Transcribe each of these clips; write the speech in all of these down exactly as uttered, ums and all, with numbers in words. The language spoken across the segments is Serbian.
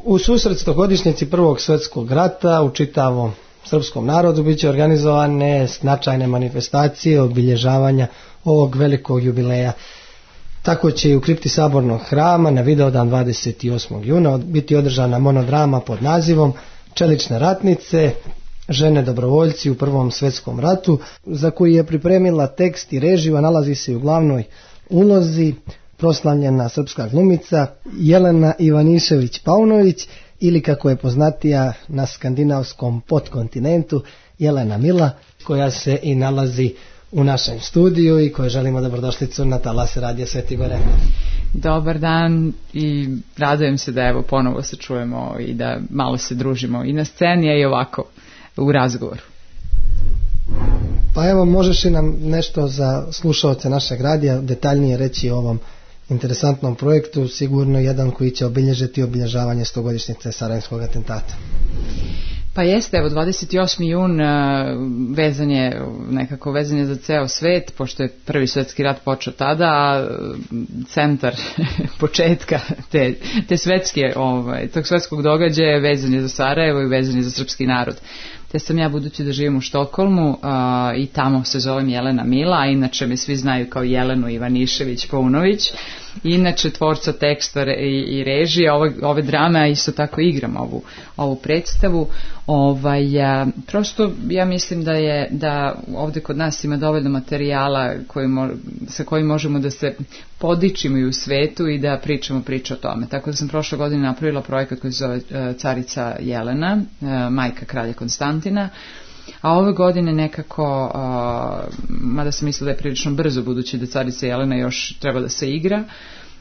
U susret stogodišnjici Prvog svjetskog rata u čitavom srpskom narodu bit će organizovane značajne manifestacije obilježavanja ovog velikog jubileja. Tako će i u kripti Sabornog hrama na Vidovdan dvadeset osmog juna biti održana monodrama pod nazivom Čelične ratnice, žene dobrovoljci u Prvom svjetskom ratu, za koji je pripremila tekst i režiju, a nalazi se u glavnoj ulozi proslavljena srpska glumica Jelena Ivanišević-Paunović, ili kako je poznatija na skandinavskom podkontinentu Jelena Mila, koja se i nalazi u našem studiju i koje želimo dobrodošlicu na talase Radija Sveti Gore. Dobar dan i radujem se da evo ponovo se čujemo i da malo se družimo i na sceni, a i ovako u razgovoru. Pa evo, možeš li nam nešto za slušaoce našeg radija detaljnije reći o ovom interesantnom projektu, sigurno jedan koji će obilježiti obilježavanje stogodišnjice Sarajevskog atentata? Pa jeste, evo dvadeset osmi jun vezan je, nekako vezan je za ceo svet, pošto je Prvi svjetski rat počeo tada, a centar početka te, te svetske, ovaj, tog svetskog događaja vezan je za Sarajevo i vezan je za srpski narod. Te sam ja, budući da živim u Štokholmu a, i tamo se zovem Jelena Mila, a inače me svi znaju kao Jelenu Ivanišević-Paunović, inače tvorca teksta i, i režije ove, ove drame, a isto tako igram ovu, ovu predstavu. Ovaj, a, prosto ja mislim da je da ovdje kod nas ima dovoljno materijala koji mo, sa kojim možemo da se podičimo i u svetu i da pričamo priče o tome. Tako da sam prošle godine napravila projekat koji se zove uh, Carica Jelena, uh, majka kralja Konstantina, a ove godine nekako, uh, mada sam mislila da je prilično brzo, budući da Carica Jelena još treba da se igra,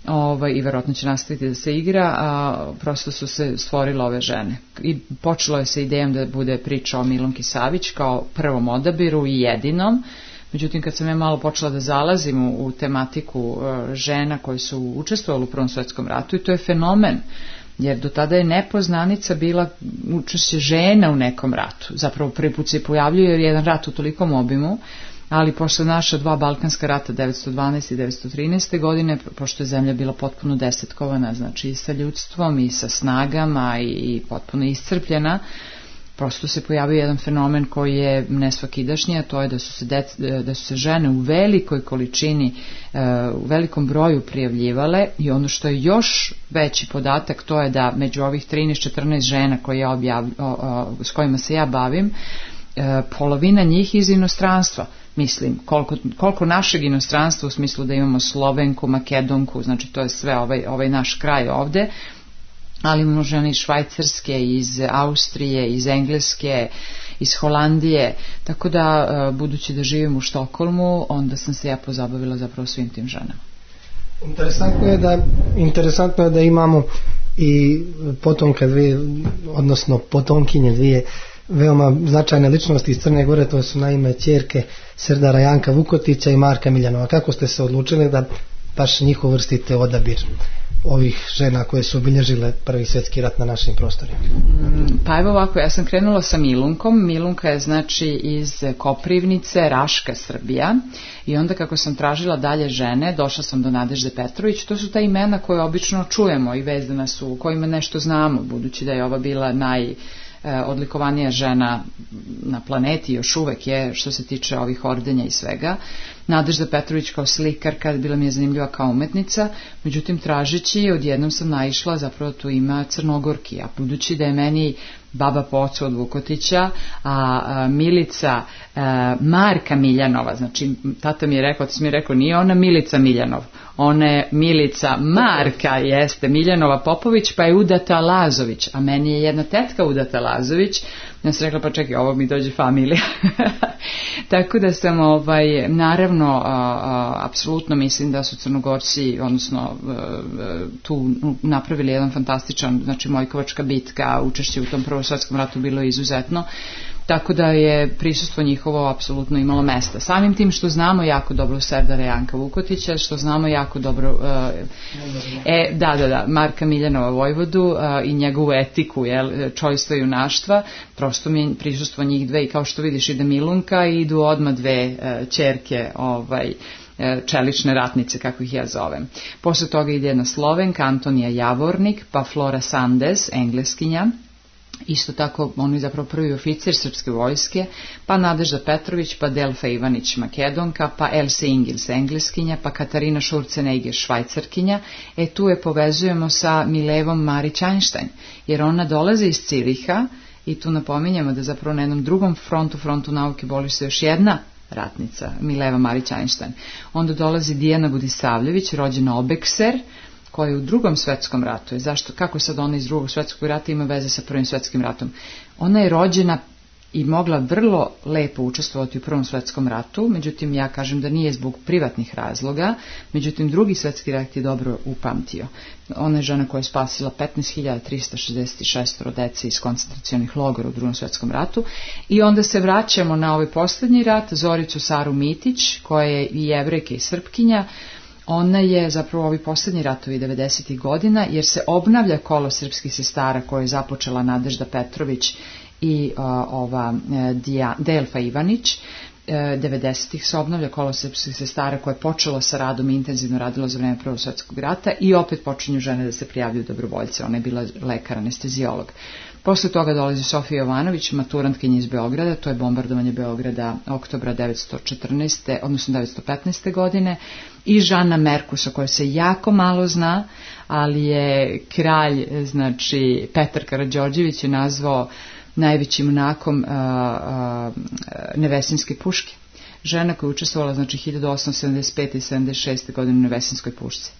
ovaj, i verovatno će nastaviti da se igra, a prosto su se stvorile ove žene. I počelo je sa idejom da bude priča o Milunki Savić kao prvom odabiru i jedinom. Međutim, kad sam ja malo počela da zalazim u, u tematiku uh, žena koje su učestvovali u Prvom svjetskom ratu, i to je fenomen, jer do tada je nepoznanica bila učešće žena u nekom ratu. Zapravo prvi put se pojavljuje jer je jedan rat u tolikom obimu, ali posle naša dva balkanska rata devetsto dvanaeste i devetsto trinaeste godine, pošto je zemlja bila potpuno desetkovana, znači i sa ljudstvom i sa snagama i, i potpuno iscrpljena, prosto se pojavio jedan fenomen koji je nesvakidašnji, a to je da su se, dec, da su se žene u velikoj količini, u velikom broju prijavljivale, i ono što je još veći podatak, to je da među ovih trinaest četrnaest žena koje ja objav, o, o, s kojima se ja bavim, polovina njih iz inostranstva. Mislim, koliko, koliko našeg inostranstva, u smislu da imamo Slovenku, Makedonku, znači to je sve ovaj, ovaj naš kraj ovde, ali imamo žene iz Švajcarske, iz Austrije, iz Engleske, iz Holandije, tako da, budući da živim u Štokholmu, onda sam se ja pozabavila zapravo svim tim ženama. Interesantno je da, interesantno je da imamo i potomka dvije, odnosno potomkinje dvije veoma značajne ličnosti iz Crne Gore, to su naime ćerke Serdara Janka Vukotića i Marka Miljanova. Kako ste se odlučili da baš njih uvrstite odabir ovih žena koje su obilježile Prvi svjetski rat na našim prostorima? Pa evo ovako, ja sam krenula sa Milunkom. Milunka je znači iz Koprivnice, Raška, Srbija, i onda kako sam tražila dalje žene, došla sam do Nadežde Petrović. To su ta imena koje obično čujemo i vezana su, kojima nešto znamo, budući da je ova bila naj odlikovanija žena na planeti, još uvek je što se tiče ovih ordenja i svega. Nadežda Petrović kao slikarka bila mi je zanimljiva kao umetnica, međutim tražeći odjednom sam naišla, zapravo tu ima Crnogorki, a budući da je meni baba po ocu od Vukotića, a, a Milica a, Marka Miljanova, znači tata mi je rekao, otac mi je rekao, nije ona Milica Miljanov, ona je Milica Marka, jeste Miljanova Popović, pa je udata Lazović, a meni je jedna tetka udata Lazović. Ja sam rekla, pa čekaj, ovo mi dođe familija. Tako da sam, ovaj, naravno, a, a, apsolutno mislim da su Crnogorci, odnosno a, tu napravili jedan fantastičan, znači Mojkovačka bitka, učešće u tom Prvom svjetskom ratu bilo izuzetno. Tako da je prisustvo njihovo apsolutno imalo mesta. Samim tim što znamo jako dobro Serdara Janka Vukotića, što znamo jako dobro uh, e, da, da, da, Marka Miljanova Vojvodu uh, i njegovu etiku, jel, čojstva i junaštva, prosto mi prisustvo njih dve, i kao što vidiš ide Milunka i idu odmah dve uh, ćerke ovaj, čelične ratnice, kako ih ja zovem. Posle toga ide jedna Slovenka, Antonija Javornik, pa Flora Sandes, engleskinja, isto tako on je zapravo prvi oficir srpske vojske, pa Nadežda Petrović, pa Delfa Ivanić, Makedonka, pa Else Ingils, engleskinja, pa Katarina Schurzenegger, švajcarkinja. E tu je povezujemo sa Milevom Marić-Einstein, jer ona dolazi iz Ciriha i tu napominjemo da zapravo na jednom drugom frontu, frontu nauke, boli se još jedna ratnica, Mileva Marić-Einstein. Onda dolazi Dijana Budisavljević, rođena Obekser, koja je u drugom svetskom ratu. Zašto, kako sad ona iz drugog svetskog rata ima veze sa prvim svetskim ratom? Ona je rođena i mogla vrlo lepo učestvovati u prvom svetskom ratu, međutim ja kažem da nije zbog privatnih razloga, međutim drugi svetski rat je dobro upamtio. Ona je žena koja je spasila petnaest hiljada trista šezdeset šest dece iz koncentracionih logora u drugom svetskom ratu. I onda se vraćamo na ovaj posljednji rat, Zoricu Saru Mitić, koja je i Jevrejka i Srpkinja. Ona je zapravo ovi posljednji ratovi devedesetih godina, jer se obnavlja kolo srpskih sestara koje je započela Nadežda Petrović i uh, ova uh, Delfa Ivanić. devedesetih se obnavlja kolo srpskih sestara koje je počelo sa radom i intenzivno radilo za vreme prvog svjetskog rata i opet počinju žene da se prijavljuju dobrovoljce. Ona je bila lekar, anestezijolog. Posle toga dolazi Sofija Jovanović, maturantkinja iz Beograda, to je bombardovanje Beograda oktobra devetsto četrnaeste odnosno devetsto petnaeste godine, i Žana Merkus, o kojoj se jako malo zna, ali je kralj, znači Petar Karađorđević je nazvao najvećim junakom a, a, Nevesinjske puške. Žena koja je učestvovala znači hiljadu osamsto sedamdeset pete i sedamdeset šeste godine u Nevesinjskoj pušci.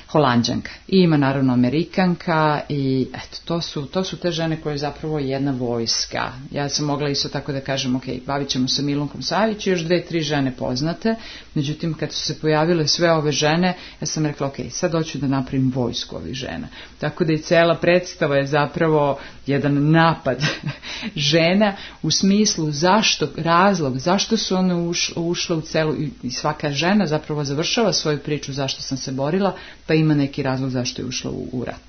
Holanđanka. I ima naravno Amerikanka i eto, to su, to su te žene koje je zapravo jedna vojska. Ja sam mogla isto tako da kažem, ok, bavit ćemo se Milunkom Savić i još dve, tri žene poznate, međutim kad su se pojavile sve ove žene, ja sam rekla, ok, sad hoću da napravim vojsku ovih žena. Tako da i cela predstava je zapravo jedan napad žena u smislu zašto, razlog, zašto su one ušle, ušle u celu, i svaka žena zapravo završava svoju priču zašto sam se borila, pa ima neki razlog zašto je ušla u, u rat.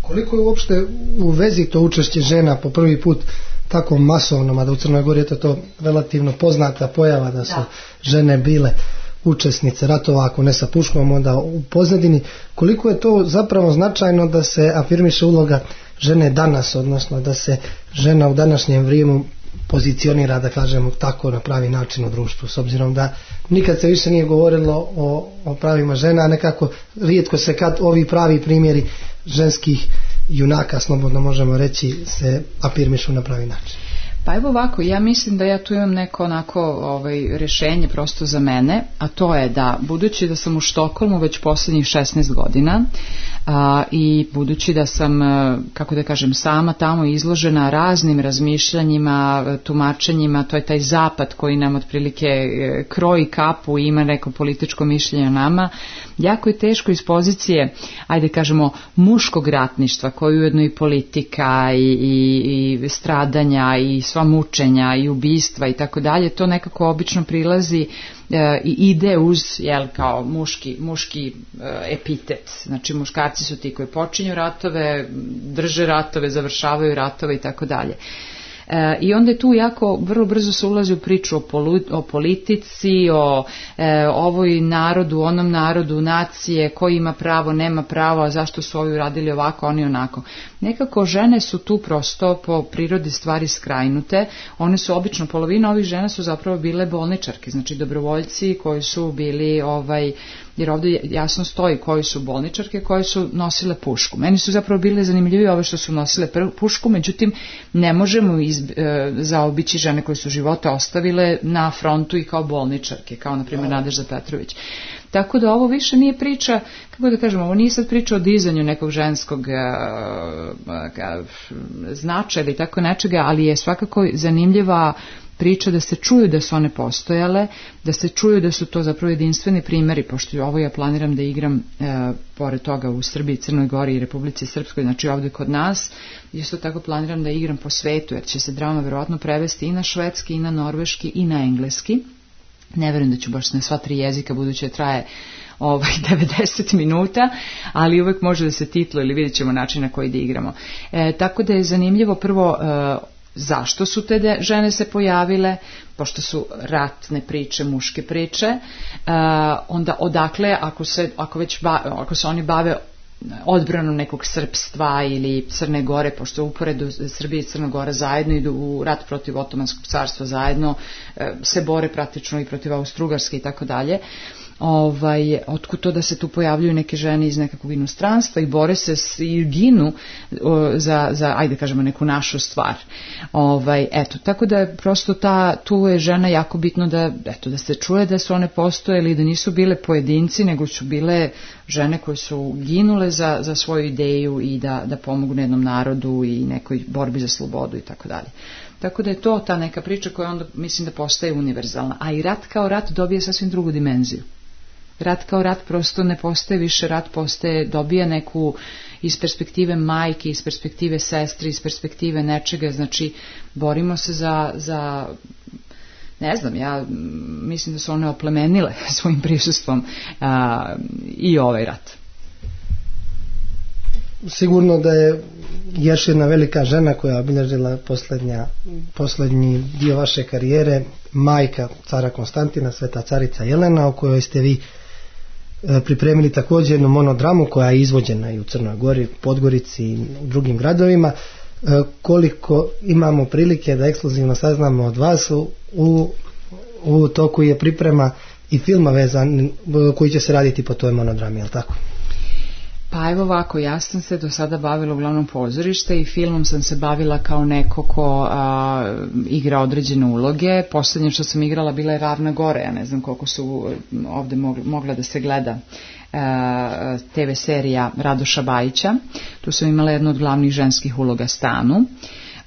Koliko je uopšte u vezi to učešće žena po prvi put tako masovno, mada u Crnoj Gori je to, to relativno poznata pojava da su da. žene bile učesnice ratova, ako ne sa puškom, onda u pozadini. Koliko je to zapravo značajno da se afirmiše uloga žene danas, odnosno da se žena u današnjem vrijeme pozicionira, da kažemo tako, na pravi način u društvu, s obzirom da nikad se više nije govorilo o, o pravima žena, a nekako rijetko se kad ovi pravi primjeri ženskih junaka, slobodno možemo reći, se afirmišu na pravi način. Pa evo ovako, ja mislim da ja tu imam neko onako ovaj, rješenje prosto za mene, a to je da, budući da sam u Štokholmu već posljednjih šesnaest godina a, i budući da sam, kako da kažem, sama tamo izložena raznim razmišljanjima, tumačenjima, to je taj zapad koji nam otprilike kroji kapu i ima neko političko mišljenje o nama, jako je teško iz pozicije, ajde kažemo, muškog ratništva, koji je ujedno i politika i, i, i stradanja i sva mučenja i ubistva i tako dalje, to nekako obično prilazi e, i ide uz, jel, kao muški, muški e, epitet. Znači muškarci su ti koji počinju ratove, drže ratove, završavaju ratove i tako dalje. E, I onda je tu jako vrlo brzo se ulazi u priču o, polu, o politici, o e, ovoj narodu, onom narodu, nacije, koji ima pravo, nema pravo, a zašto su ovi uradili ovako, oni onako. Nekako žene su tu prosto po prirodi stvari skrajnute. One su obično, polovina ovih žena su zapravo bile bolničarke, znači dobrovoljci koji su bili, ovaj, jer ovdje jasno stoji koji su bolničarke, koje su nosile pušku. Meni su zapravo bile zanimljive ove što su nosile pušku, međutim ne možemo iz, e, zaobići žene koje su života ostavile na frontu i kao bolničarke, kao na primjer Nadežda Petrović. Tako da ovo više nije priča, kako da kažemo, ovo nije sad priča o dizanju nekog ženskog uh, uh, značaja ili tako nečega, ali je svakako zanimljiva priča da se čuju da su one postojale, da se čuju da su to zapravo jedinstveni primjeri, pošto ovo ja planiram da igram uh, pored toga u Srbiji, Crnoj Gori i Republici Srpskoj, znači ovdje kod nas, isto tako planiram da igram po svetu, jer će se drama verovatno prevesti i na švedski, i na norveški, i na engleski. Ne verujem da ću baš na sva tri jezika, budući da traje ovaj devedeset minuta, ali uvek može da se titlo ili vidjet ćemo način na koji da igramo. E, tako da je zanimljivo prvo e, zašto su te de, žene se pojavile, pošto su ratne priče, muške priče, uh, onda odakle, ako se, ako već ba, ako se oni bave odbranom nekog srpstva ili Crne Gore, pošto uporedu Srbije i Crna Gora zajedno idu u rat protiv Otomanskog carstva, zajedno se bore praktično i protiv Austrougarske i tako dalje. Ovaj, otkud to da se tu pojavljuju neke žene iz nekakvog inostranstva i bore se i ginu o, za, za, ajde kažemo, neku našu stvar. Ovaj, eto, tako da je prosto ta, tu je žena jako bitno da, eto, da se čuje da su one postojele i da nisu bile pojedinci, nego su bile žene koje su ginule za, za svoju ideju i da, da pomogu jednom narodu i nekoj borbi za slobodu i tako dalje. Tako da je to ta neka priča koja onda mislim da postaje univerzalna. A i rat kao rat dobije sasvim drugu dimenziju. Rat kao rat prosto ne postaje više rat, postaje, dobija neku iz perspektive majke, iz perspektive sestre, iz perspektive nečega, znači borimo se za, za ne znam, ja mislim da su one oplemenile svojim prisustvom a, i ovaj rat. Sigurno da je još jedna velika žena koja je obilježila posljednja, posljednji dio vaše karijere, majka cara Konstantina, sveta carica Jelena, o kojoj ste vi pripremili također jednu monodramu koja je izvođena i u Crnoj Gori, Podgorici i u drugim gradovima. Koliko imamo prilike da ekskluzivno saznamo od vas, u, u toku je priprema i filma vezan koji će se raditi po toj monodrami, je li tako? Pa evo ovako, ja sam se do sada bavila uglavnom pozorište i filmom sam se bavila kao neko ko a, igra određene uloge. Poslednje što sam igrala bila je Ravna Gora, ja ne znam koliko su ovde mogla, mogla da se gleda a, te ve serija Radoša Bajića. Tu sam imala jednu od glavnih ženskih uloga Stanu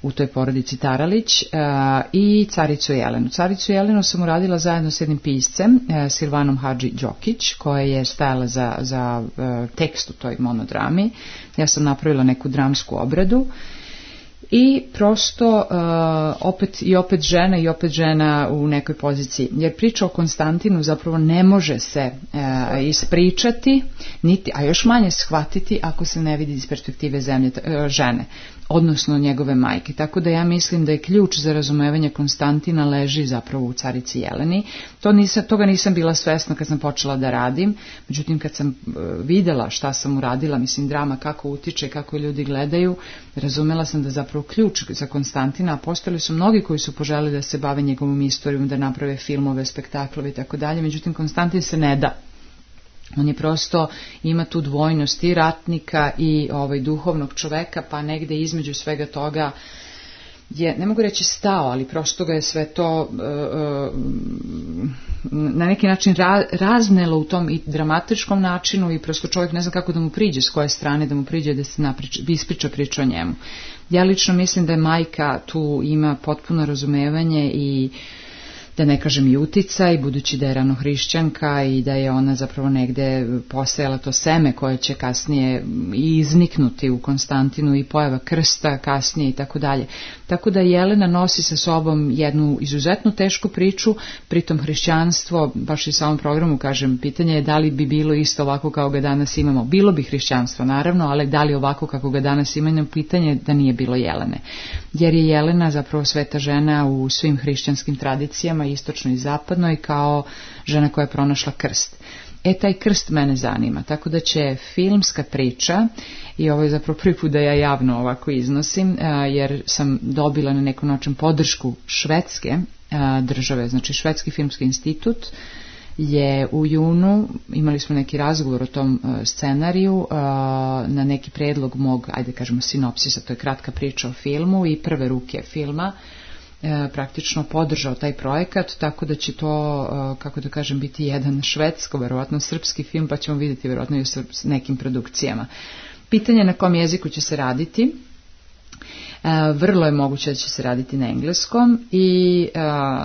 u toj porodici Taralić uh, i Caricu Jelenu. Caricu Jelenu sam uradila zajedno s jednim piscem, uh, Silvanom Hadži Đokić, koja je stajala za, za uh, tekst u toj monodrami. Ja sam napravila neku dramsku obradu i prosto uh, opet i opet žena i opet žena u nekoj poziciji. Jer priča o Konstantinu zapravo ne može se uh, ispričati, niti, a još manje shvatiti ako se ne vidi iz perspektive zemlje, uh, žene, odnosno njegove majke. Tako da ja mislim da je ključ za razumevanje Konstantina leži zapravo u carici Jeleni. To nisam, toga nisam bila svesna kad sam počela da radim, međutim kad sam uh, videla šta sam uradila, mislim drama kako utiče, kako ljudi gledaju, razumela sam da zapravo ključ za Konstantina, a postojali su mnogi koji su poželeli da se bave njegovom istorijom, da naprave filmove, spektaklove i tako dalje, međutim Konstantin se ne da. On je prosto, ima tu dvojnost i ratnika i ovaj duhovnog čoveka, pa negde između svega toga je, ne mogu reći stao, ali prosto ga je sve to uh, na neki način ra, raznelo u tom i dramatičkom načinu i prosto čovjek ne zna kako da mu priđe, s koje strane da mu priđe da se napriča, ispriča priča o njemu. Ja lično mislim da je majka tu ima potpuno razumevanje i da ne kažem i uticaj, budući da je ranohrišćanka i da je ona zapravo negde posejala to seme koje će kasnije i izniknuti u Konstantinu i pojava krsta kasnije i tako dalje. Tako da Jelena nosi sa sobom jednu izuzetno tešku priču, pritom hrišćanstvo, baš i u samom programu kažem, pitanje je da li bi bilo isto ovako kao ga danas imamo. Bilo bi hrišćanstvo naravno, ali da li ovako kako ga danas imamo, pitanje je da nije bilo Jelene. Jer je Jelena zapravo sveta žena u svim hrišćanskim tradicijama, istočnoj i zapadnoj, kao žena koja je pronašla krst. E, taj krst mene zanima, tako da će filmska priča, i ovo je zapravo prvi put da ja javno ovako iznosim, jer sam dobila na nekom način podršku švedske države, znači Švedski filmski institut je u junu, imali smo neki razgovor o tom scenariju na neki predlog mog, ajde kažemo sinopsisa, to je kratka priča o filmu i prve ruke filma, praktično podržao taj projekat, tako da će to, kako da kažem, biti jedan švedsko, verovatno srpski film, pa ćemo vidjeti verovatno i u nekim produkcijama. Pitanje na kom jeziku će se raditi, vrlo je moguće da će se raditi na engleskom i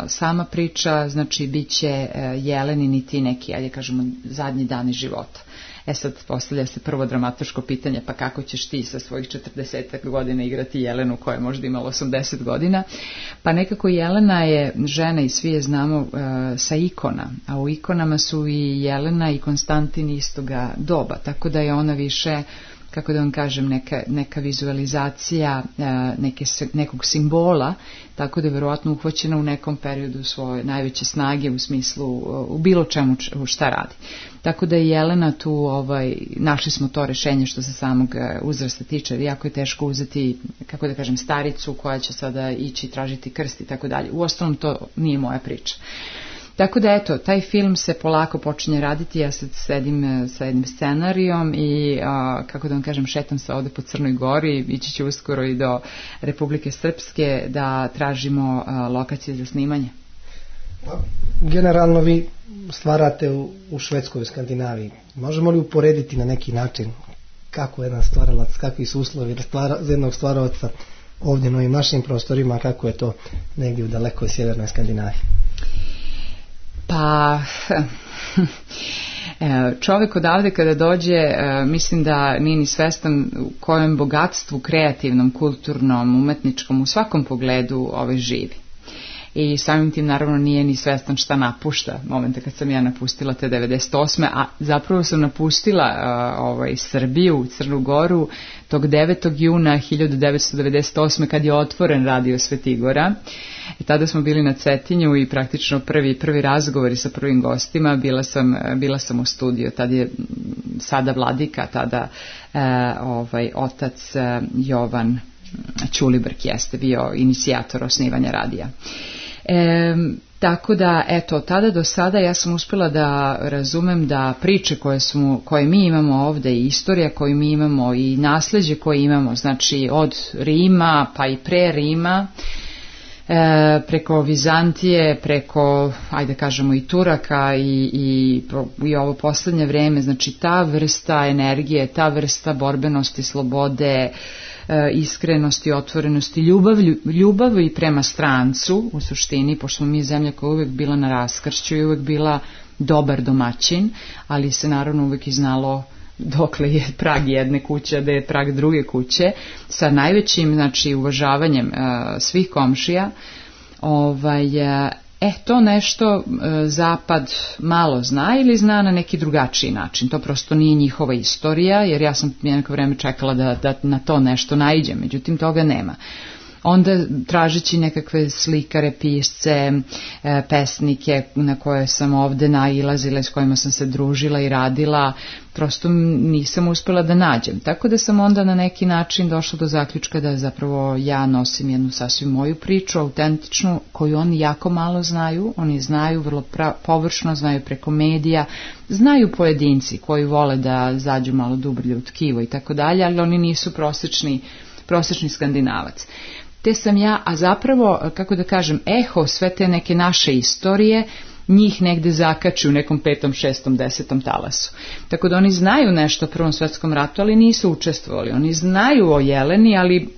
sama priča, znači, bit će Jelenini ti neki, ajde kažemo, zadnji dani života. E sad postavlja se prvo dramatičko pitanje, pa kako ćeš ti sa svojih četrdeset godina igrati Jelenu koja je možda imala osamdeset godina, pa nekako Jelena je žena i svi je znamo uh, sa ikona, a u ikonama su i Jelena i Konstantin istoga doba, tako da je ona više, kako da vam kažem, neka, neka vizualizacija neke, nekog simbola, tako da je verovatno uhvaćena u nekom periodu svoje najveće snage u smislu, u bilo čemu šta radi. Tako da je Jelena tu, ovaj, našli smo to rešenje što se samog uzrasta tiče, jako je teško uzeti, kako da kažem, staricu koja će sada ići tražiti krst i tako dalje. Uostalom to nije moja priča. Tako da eto, taj film se polako počinje raditi, ja sad sedim sa jednim scenarijom i a, kako da vam kažem, šetam se ovde po Crnoj Gori, ići ću uskoro i do Republike Srpske da tražimo a, lokacije za snimanje. Generalno vi stvarate u, u Švedskoj, u Skandinaviji. Možemo li uporediti na neki način kako jedan stvaralac, kakvi su uslovi za jednog stvaralaca ovdje na ovim našim prostorima, kako je to negdje u dalekoj sjevernoj Skandinaviji? Pa čovjek odavde kada dođe, mislim da nije ni svestan u kojem bogatstvu kreativnom, kulturnom, umetničkom, u svakom pogledu ove živi. I samim tim naravno nije ni svestan šta napušta momenta kad sam ja napustila te devedeset osme a zapravo sam napustila uh, ovaj, Srbiju, Crnu Goru tog devetog juna hiljadu devetsto devedeset osme kad je otvoren radio Svetigora. I tada smo bili na Cetinju i praktično prvi, prvi razgovori sa prvim gostima, bila sam, bila sam u studiju, tad je sada vladika, tada uh, ovaj, otac uh, Jovan Ćulibrk jeste bio inicijator osnivanja radija. E, tako da, eto, tada do sada ja sam uspjela da razumem da priče koje, smo, koje mi imamo ovdje i istorija koju mi imamo i nasljeđe koje imamo, znači od Rima pa i pre Rima, e, preko Vizantije, preko, ajde kažemo i Turaka i, i, i ovo posljednje vrijeme, znači ta vrsta energije, ta vrsta borbenosti, slobode, iskrenosti, otvorenosti, ljubav, ljubavi prema strancu u suštini, pošto smo mi zemlja koja je uvijek bila na raskršću i uvijek bila dobar domaćin, ali se naravno uvijek i znalo dokle je prag jedne kuće, a da je prag druge kuće, sa najvećim, znači, uvažavanjem uh, svih komšija. Ovaj, uh, E, to nešto e, Zapad malo zna ili zna na neki drugačiji način. To prosto nije njihova istorija, jer ja sam neko vreme čekala da, da na to nešto naiđem, međutim toga nema. Onda tražeći nekakve slikare, pisce, e, pesnike na koje sam ovde nailazila, s kojima sam se družila i radila, prosto nisam uspjela da nađem. Tako da sam onda na neki način došla do zaključka da zapravo ja nosim jednu sasvim moju priču, autentičnu, koju oni jako malo znaju. Oni znaju vrlo pra- površno, znaju preko medija, znaju pojedinci koji vole da zađu malo dublje u tkivo i tako dalje, ali oni nisu prosječni, prosječni Skandinavac. Te sam ja, a zapravo, kako da kažem, eho sve te neke naše istorije, njih negde zakači u nekom petom, šestom, desetom talasu. Tako da oni znaju nešto o Prvom svjetskom ratu, ali nisu učestvovali. Oni znaju o Jeleni, ali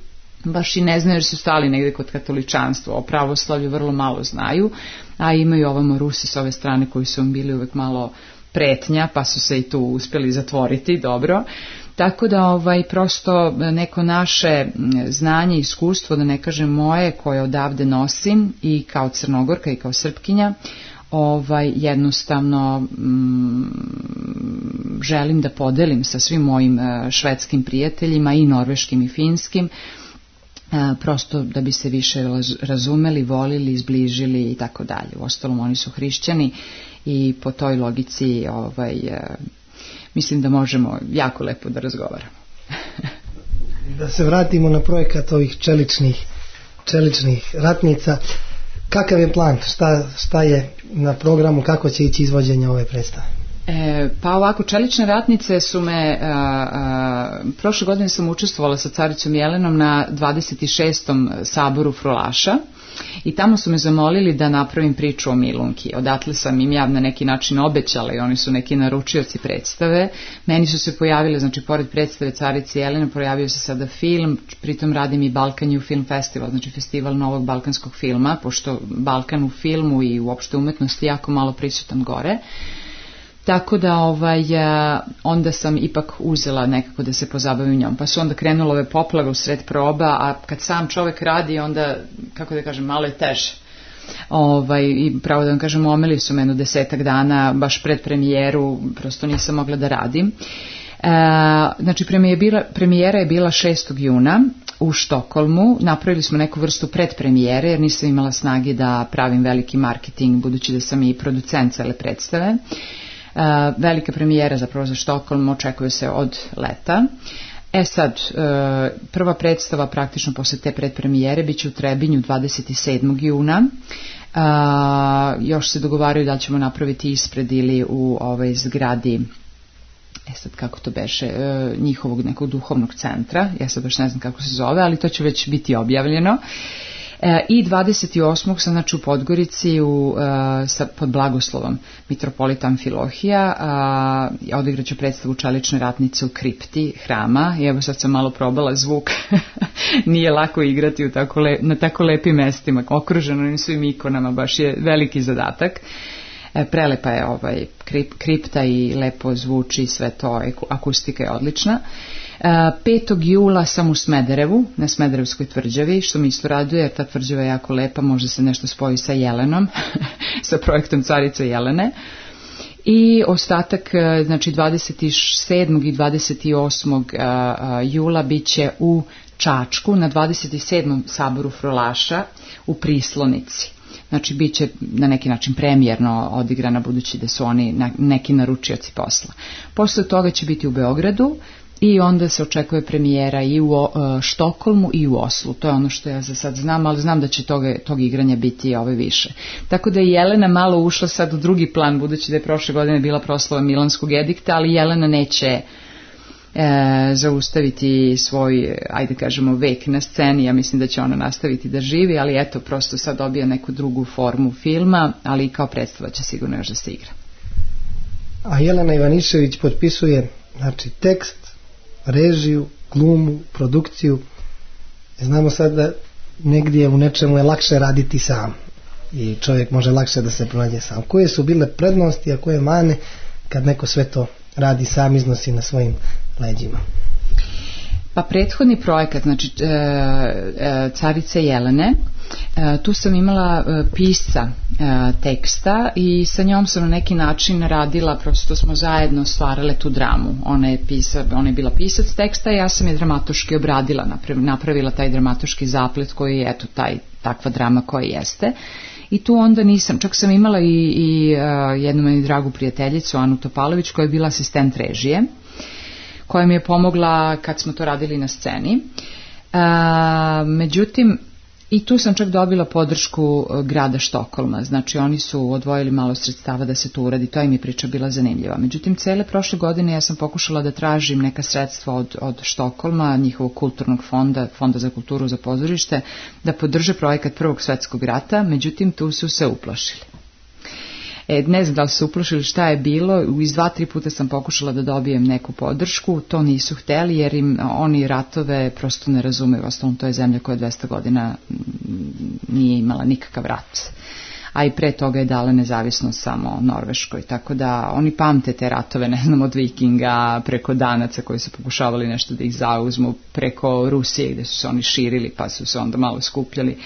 baš i ne znaju jer su stali negde kod katoličanstva. O pravoslavlju vrlo malo znaju, a imaju ovamo Rusi s ove strane koji su im bili uvek malo pretnja, pa su se i tu uspjeli zatvoriti dobro. Tako da ovaj prosto neko naše znanje i iskustvo, da ne kažem moje, koje odavde nosim i kao Crnogorka i kao Srpkinja, ovaj jednostavno mm, želim da podelim sa svim mojim švedskim prijateljima i norveškim i finskim, prosto da bi se više razumeli, volili, izbližili i tako dalje. Uostalom oni su hrišćani i po toj logici ovaj mislim da možemo jako lepo da razgovaramo. Da se vratimo na projekat ovih čeličnih, čeličnih ratnica. Kakav je plan? Šta, šta je na programu? Kako će ići izvođenje ove predstave? E, pa ovako, čelične ratnice su me, a, a, prošle godine sam učestvovala sa caricom Jelenom na dvadeset šestom saboru Frulaša i tamo su me zamolili da napravim priču o Milunki. Odatle sam im ja na neki način obećala i oni su neki naručioci predstave. Meni su se pojavile, znači pored predstave carice Jelene pojavio se sada film, pritom radim i Balkan New Film Festival, znači festival novog balkanskog filma, pošto Balkan u filmu i uopšte umetnosti jako malo prisutan gore. Tako da ovaj, onda sam ipak uzela nekako da se pozabavim njom. Pa su onda krenule ove poplave u sred proba, a kad sam čovjek radi onda, kako da kažem, malo je teže. Ovaj, i pravo da vam kažem, omeli su me jedno desetak dana, baš pred premijeru, prosto nisam mogla da radim. Znači premijera je bila, premijera je bila šestog juna u Štokholmu. Napravili smo neku vrstu predpremijere jer nisam imala snage da pravim veliki marketing budući da sam i producent cele predstave. Velika premijera zapravo za Štokholm očekuje se od leta. E sad, prva predstava praktično posle te predpremijere bit će u Trebinju dvadeset sedmog juna. Još se dogovaraju da li ćemo napraviti ispred ili u ovoj zgradi, e sad kako to beše, njihovog nekog duhovnog centra, ja sad baš ne znam kako se zove, ali to će već biti objavljeno. I dvadeset osmog sam znači u Podgorici u, sa, pod blagoslovom mitropolita Amfilohija, odigraću predstavu Čelične ratnice u kripti hrama i evo sad sam malo probala zvuk, nije lako igrati u tako le, na tako lepim mestima, okruženo onim svim ikonama, baš je veliki zadatak. Prelepa je ovaj krip, kripta i lepo zvuči sve to, akustika je odlična. petog jula sam u Smederevu, na Smederevskoj tvrđavi, što mi isto raduje jer ta tvrđava je jako lepa, može se nešto spoji sa Jelenom, sa projektom Carice Jelene. I ostatak, znači dvadeset sedmog i dvadeset osmog jula bit će u Čačku, na dvadeset sedmom saboru Frolaša u Prislonici. Znači, bit će na neki način premijerno odigrana budući da su oni neki naručioci posla. Posle toga će biti u Beogradu i onda se očekuje premijera i u Štokholmu i u Oslu. To je ono što ja za sad znam, ali znam da će toga, tog igranja biti ove više. Tako da je Jelena malo ušla sad u drugi plan, budući da je prošle godine bila proslava Milanskog edikta, ali Jelena neće E, zaustaviti svoj, ajde kažemo, vek na sceni. Ja mislim da će ona nastaviti da živi, ali eto, prosto sad dobija neku drugu formu filma, ali i kao predstava će sigurno još da se igra. A Jelena Ivanišević potpisuje, znači, tekst, režiju, glumu, produkciju. Znamo sad da negdje u nečemu je lakše raditi sam i čovjek može lakše da se pronađe sam. Koje su bile prednosti, a koje mane kad neko sve to radi sam, iznosi na svojim leđima? Pa prethodni projekat, znači e, e, Carice Jelene, e, tu sam imala e, pisca e, teksta i sa njom sam na neki način radila, prosto smo zajedno stvarale tu dramu. Ona je, pisa, ona je bila pisac teksta i ja sam je dramatoški obradila, napravila taj dramatoški zaplet koji je, eto, taj, takva drama koja jeste. I tu onda nisam, čak sam imala i, i uh, jednu meni dragu prijateljicu, Anu Topalović, koja je bila asistent režije, koja mi je pomogla kad smo to radili na sceni. Uh, međutim, i tu sam čak dobila podršku grada Štokholma, znači oni su odvojili malo sredstava da se to uradi, to im je priča bila zanimljiva. Međutim, cele prošle godine ja sam pokušala da tražim neka sredstva od, od Štokholma, njihovog kulturnog fonda, fonda za kulturu za pozorište, da podrže projekat Prvog svetskog rata, međutim tu su se uplašili. E, ne znam da li su uplašili, šta je bilo, iz dva, tri puta sam pokušala da dobijem neku podršku, to nisu hteli jer im oni ratove prosto ne razumeju, ostalom to je zemlja koja dvesta godina nije imala nikakav rat, a i pre toga je dala nezavisnost samo Norveškoj, tako da oni pamte te ratove, ne znam, od Vikinga preko Danaca koji su pokušavali nešto da ih zauzmu, preko Rusije gde su se oni širili pa su se onda malo skupljali.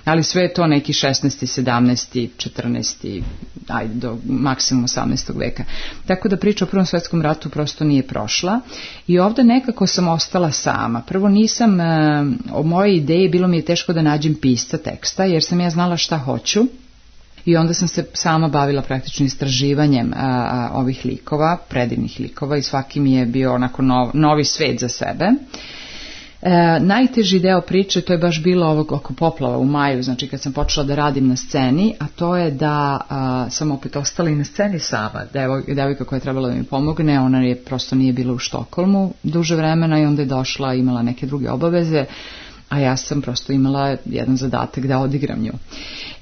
Ali sve je to neki šesnaesti, sedamnaesti, četrnaesti, ajde do maksimum osamnaestog veka. Tako da priča o Prvom svetskom ratu prosto nije prošla i ovdje nekako sam ostala sama. Prvo nisam, o mojoj ideji bilo mi je teško da nađem pisca teksta jer sam ja znala šta hoću i onda sam se sama bavila praktično istraživanjem a, a, ovih likova, predivnih likova i svaki mi je bio onako nov, novi svet za sebe. E, najteži deo priče, to je baš bilo ovog oko poplava u maju, znači kad sam počela da radim na sceni, a to je da a, sam opet ostala i na sceni sama. Devo, devojka koja je trebala da mi pomogne, ona je prosto nije bila u Štokholmu duže vremena i onda je došla, imala neke druge obaveze, a ja sam prosto imala jedan zadatak da odigram nju.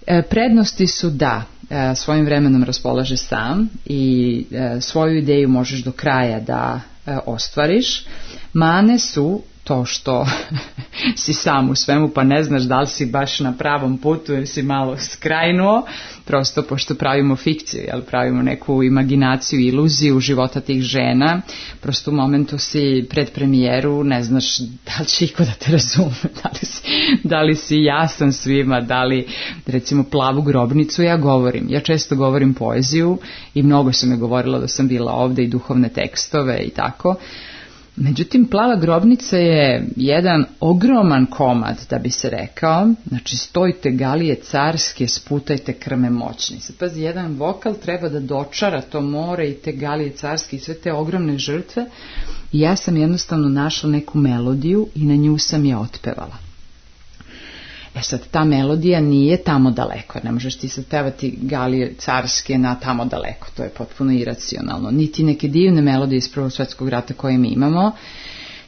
E, prednosti su da e, svojim vremenom raspolaže sam i e, svoju ideju možeš do kraja da e, ostvariš. Mane su to što si sam u svemu pa ne znaš da li si baš na pravom putu jer si malo skrajnuo, prosto pošto pravimo fikciju, jel, pravimo neku imaginaciju, iluziju života tih žena, prosto u momentu si pred premijeru ne znaš da li će iko da te razume, da li si da li si jasan svima, da li recimo Plavu grobnicu ja govorim. Ja često govorim poeziju i mnogo se me govorilo da sam bila ovde i duhovne tekstove i tako. Međutim, Plava grobnica je jedan ogroman komad, da bi se rekao. Znači, stojite galije carske, sputajte krme moćni. Sad, pazi, jedan vokal treba da dočara to more i te galije carske i sve te ogromne žrtve. I ja sam jednostavno našla neku melodiju i na nju sam je otpevala. E sad, ta melodija nije tamo daleko. Ne možeš ti sad pevati galije carske na tamo daleko. To je potpuno iracionalno. Niti neke divne melodije iz Prvog svjetskog rata koje mi imamo.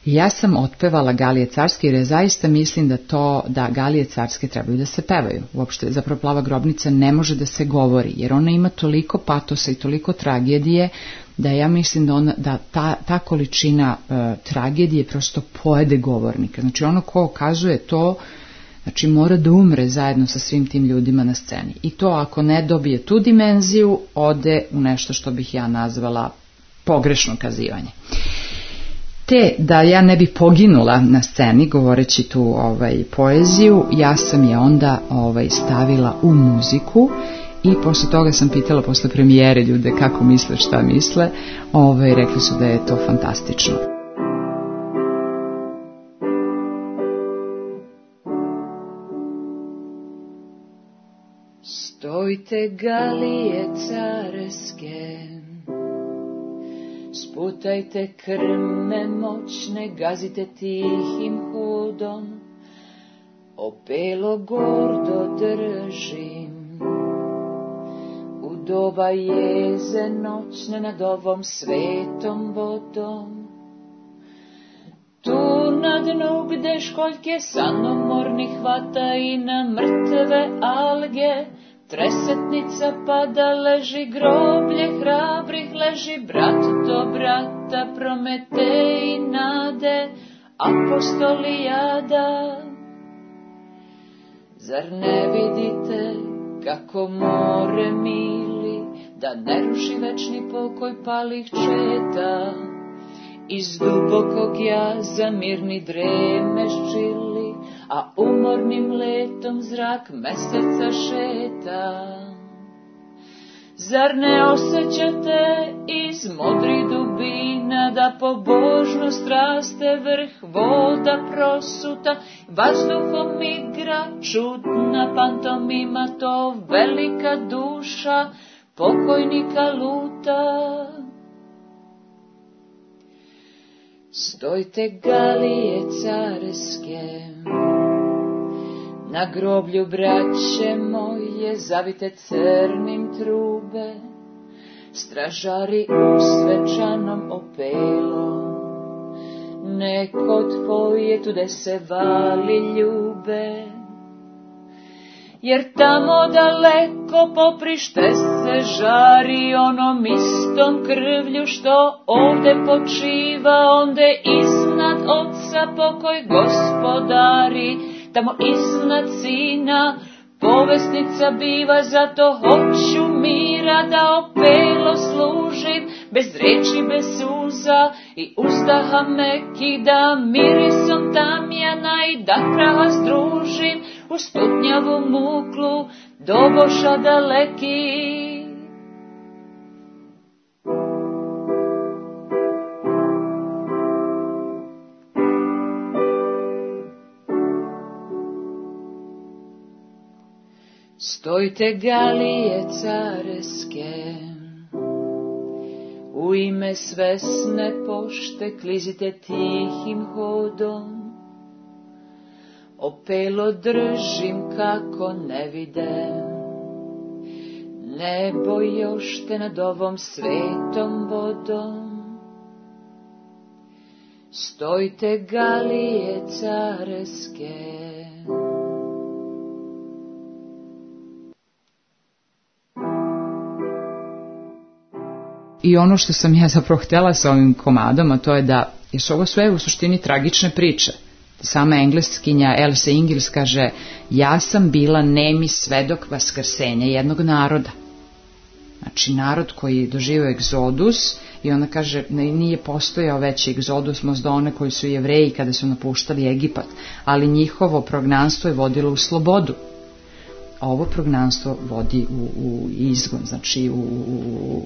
Ja sam otpevala galije carske jer ja zaista mislim da to, da galije carske trebaju da se pevaju. Uopšte, zapravo Plava grobnica ne može da se govori, jer ona ima toliko patosa i toliko tragedije da ja mislim da, ona, da ta, ta količina uh, tragedije prosto pojede govornika. Znači ono ko kazuje to, znači mora da umre zajedno sa svim tim ljudima na sceni. I to ako ne dobije tu dimenziju, ode u nešto što bih ja nazvala pogrešno kazivanje. Te da ja ne bi poginula na sceni govoreći tu ovaj, poeziju, ja sam je onda ovaj, stavila u muziku i posle toga sam pitala posle premijere ljude kako misle, šta misle, ovaj, rekli su da je to fantastično. Stojte galije carske, sputajte krme moćne, gazite tihim hudom, opelo gordo držim. U doba jeze noćne nad ovom svetom vodom, tu na dnu gde školjke sanomorni hvata i na mrtve alge, tresetnica pada, leži groblje hrabrih, leži brat do brata, Prometej i nade, apostolijada. Zar ne vidite kako more mili, da ne ruši večni pokoj palih četa? Iz dubokog jaza mirni dreme ščili, a umornim letom zrak meseca šeta. Zar ne osjećate iz modrih dubina da pobožnost raste vrh voda prosuta, vazduhom igra čudna pantomima, to velika duša pokojnika luta. Stojte galije carske, na groblju braće moje zavite crnim trube, stražari u svečanom opelom, neko tvoje tude se vali ljube. Jer tamo daleko poprište se žari onom istom krvlju što ovde počiva, onde iznad oca pokoj gospodari, tamo iznad sina povesnica biva, zato hoću mira da opelo služim, bez reči, bez suza i uzdaha mekih, da mirisom tamjana i da praha združim u stutnjavu muklu doboša daleki. Stojte galije carske, u ime svesne pošte klizite tihim hodom, opelo držim kako ne videm, nebo još te nad ovom svetom vodom. Stojte galije carske. I ono što sam ja zapravo htjela sa ovim komadom, a to je da, jer su ovo sve u suštini tragične priče. Sama engleskinja Elsa Ingils kaže, ja sam bila nemi svedok vaskrsenja jednog naroda. Znači narod koji doživio egzodus I ona kaže, nije postojao veći egzodus možda one koji su Jevreji kada su napuštali Egipat, ali njihovo prognanstvo je vodilo u slobodu. A ovo prognanstvo vodi u, u izgon, znači u, u,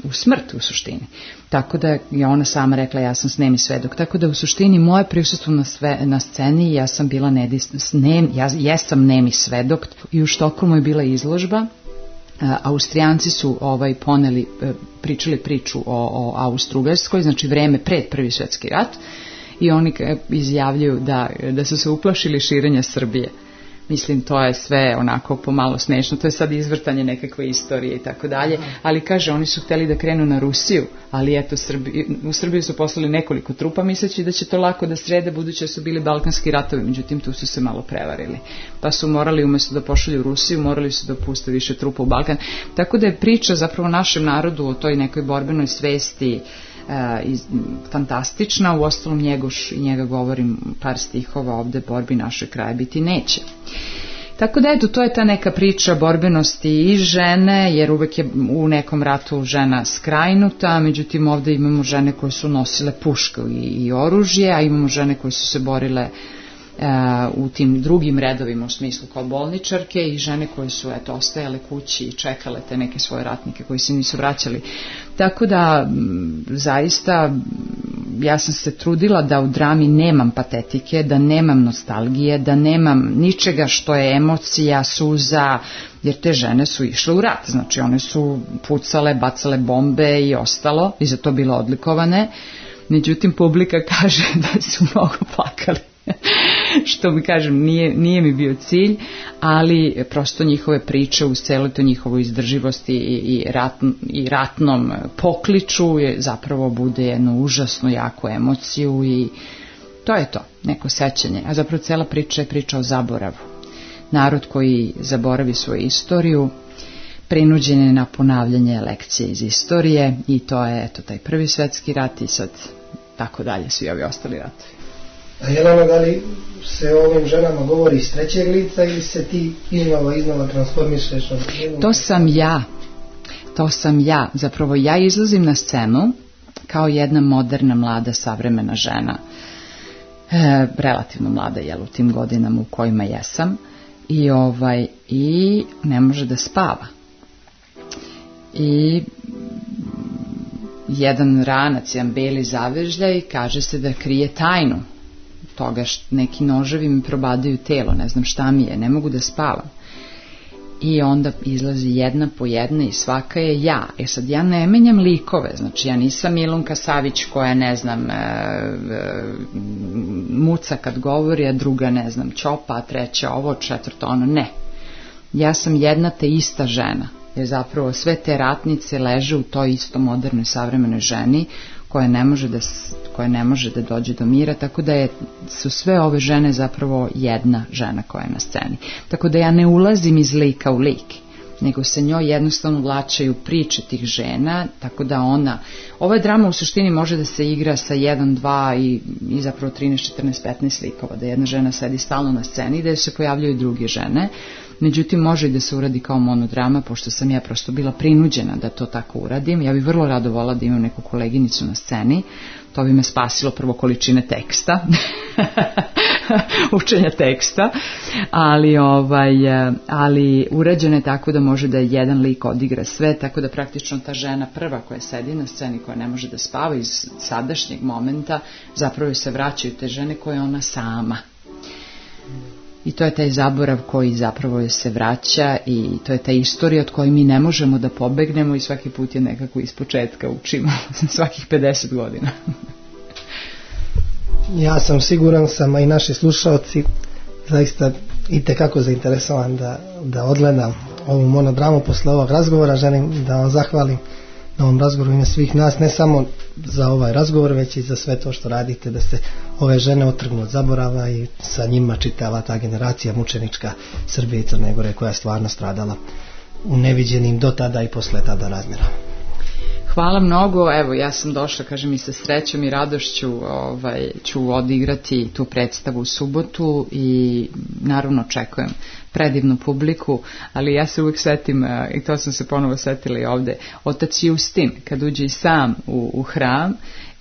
u smrt u suštini. Tako da je ona sama rekla, ja sam nemi svedok. Tako da u suštini moje prisustvo na, sve, na sceni, ja sam bila nedis, ne, ja jesam nemi svedok. I u Štokholmu je bila izložba. Austrijanci su ovaj poneli, pričali priču o, o Austro-Ugarskoj, znači vreme pred Prvi svjetski rat, i oni izjavljuju da, da su se uplašili širenja Srbije. Mislim, to je sve onako pomalo smešno, to je sad izvrtanje nekakve istorije i tako dalje, ali kaže, oni su htjeli da krenu na Rusiju, ali eto, Srbi, u Srbiju su poslali nekoliko trupa, misleći da će to lako da srede, budući da su bili balkanski ratovi, međutim tu su se malo prevarili, pa su morali umjesto da pošalju u Rusiju, morali su da puste više trupa u Balkan, tako da je priča zapravo našem narodu o toj nekoj borbenoj svesti E, iz, fantastična, u ostalom Njegoš, i njega govorim par stihova ovde, borbi naše kraje biti neće. Tako da eto, to je ta neka priča borbenosti i žene, jer uvek je u nekom ratu žena skrajnuta, međutim ovde imamo žene koje su nosile pušku i, i oružje, a imamo žene koje su se borile u tim drugim redovima u smislu kao bolničarke i žene koje su eto ostajale kući i čekale te neke svoje ratnike koji se nisu vraćali. Tako da zaista ja sam se trudila da u drami nemam patetike, da nemam nostalgije, da nemam ničega što je emocija, suza, jer te žene su išle u rat, znači one su pucale, bacale bombe i ostalo i za to bile odlikovane. Međutim publika kaže da su mnogo plakali. Što mi kažem, nije, nije mi bio cilj, ali prosto njihove priče uz celu to njihovu izdrživosti i, i, rat, i ratnom pokliču je zapravo bude jednu užasno jaku emociju i to je to, neko sećanje. A zapravo cela priča je priča o zaboravu. Narod koji zaboravi svoju istoriju prinuđen je na ponavljanje lekcije iz istorije i to je eto taj Prvi svjetski rat i sad tako dalje svi ovi ostali ratovi. A Jelena, da li se o ovim ženama govori iz trećeg lica ili se ti iznova iznova transformišeš? To sam ja. To sam ja. Zapravo ja izlazim na scenu kao jedna moderna, mlada, savremena žena. E, relativno mlada, jel, u tim godinama u kojima jesam. I, ovaj, i ne može da spava. I jedan ranac, jedan beli zavežljaj, kaže se da krije tajnu toga što neki noževi mi probadaju telo, ne znam šta mi je, ne mogu da spavam. I onda izlazi jedna po jedna i svaka je ja. E sad ja ne menjam likove, znači ja nisam Milunka Savić koja ne znam e, e, muca kad govori, a druga ne znam ćopa, a treća ovo, četvrto ono, ne. Ja sam jedna te ista žena, jer zapravo sve te ratnice leže u toj isto modernoj savremenoj ženi koja ne može da, koja ne može da dođe do mira, tako da je, su sve ove žene zapravo jedna žena koja je na sceni. Tako da ja ne ulazim iz lika u lik, nego se njoj jednostavno vlačaju priče tih žena, tako da ona, ova drama u suštini može da se igra sa jedan, dva i, i zapravo trinaest, četrnaest, petnaest likova, da jedna žena sedi stalno na sceni i da se pojavljaju druge žene. Međutim, može i da se uradi kao monodrama, pošto sam ja prosto bila prinuđena da to tako uradim. Ja bih vrlo rado volila da imam neku koleginicu na sceni. To bi me spasilo prvo količine teksta, učenja teksta, ali, ovaj, ali urađeno je tako da može da jedan lik odigra sve, tako da praktično ta žena prva koja sedi na sceni, koja ne može da spava iz sadašnjeg momenta, zapravo se vraćaju te žene koje je ona sama. I to je taj zaborav koji zapravo se vraća i to je ta istorija od koje mi ne možemo da pobegnemo i svaki put je nekako ispočetka učimo, svakih pedeset godina. Ja sam siguran sam, a i naši slušalci zaista itekako zainteresovan da, da odgledam ovu monodramu posle ovog razgovora. Želim da vam zahvalim na ovom razgovoru ime svih nas, ne samo za ovaj razgovor, već i za sve to što radite, da se ove žene otrgnu od zaborava i sa njima čitava ta generacija mučenička Srbije i Crne Gore koja je stvarno stradala u neviđenim do tada i posle tada razmjerama. Hvala mnogo, evo ja sam došla, kažem, i sa srećom i radošću ovaj, ću odigrati tu predstavu u subotu i naravno očekujem predivnu publiku, ali ja se uvijek setim, i to sam se ponovo setila i ovde, otac Justin kad uđe i sam u, u hram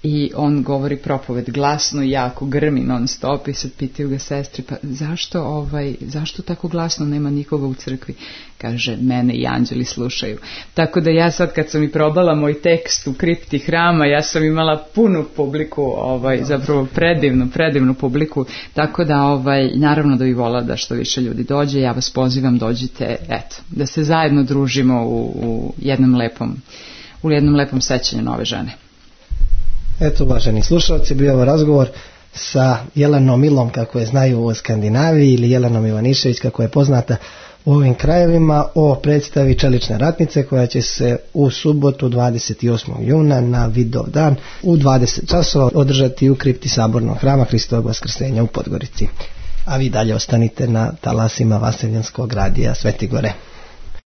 i on govori propoved glasno i jako grmi non stop i sad pitaju ga sestri, pa zašto, ovaj, zašto tako glasno, nema nikoga u crkvi? Kaže, mene i anđeli slušaju. Tako da ja sad kad sam i probala moj tekst u kripti hrama, ja sam imala punu publiku, ovaj, zapravo predivnu, predivnu publiku, tako da ovaj, naravno da bih volila da što više ljudi dođe, ja vas pozivam, dođite, eto, da se zajedno družimo u, u jednom lepom, u jednom lepom sećanju na ove žene. Eto, uvaženi slušalci, bio ovo razgovor sa Jelenom Milom, kako je znaju u Skandinaviji, ili Jelenom Ivanišević, kako je poznata u ovim krajevima, o predstavi Čelične ratnice, koja će se u subotu dvadeset osmog juna na Vidovdan u dvadeset časova održati u kripti Sabornog hrama Hristovog Vaskrsenja u Podgorici. A vi dalje ostanite na talasima Vaseljanskog radija Svetigore.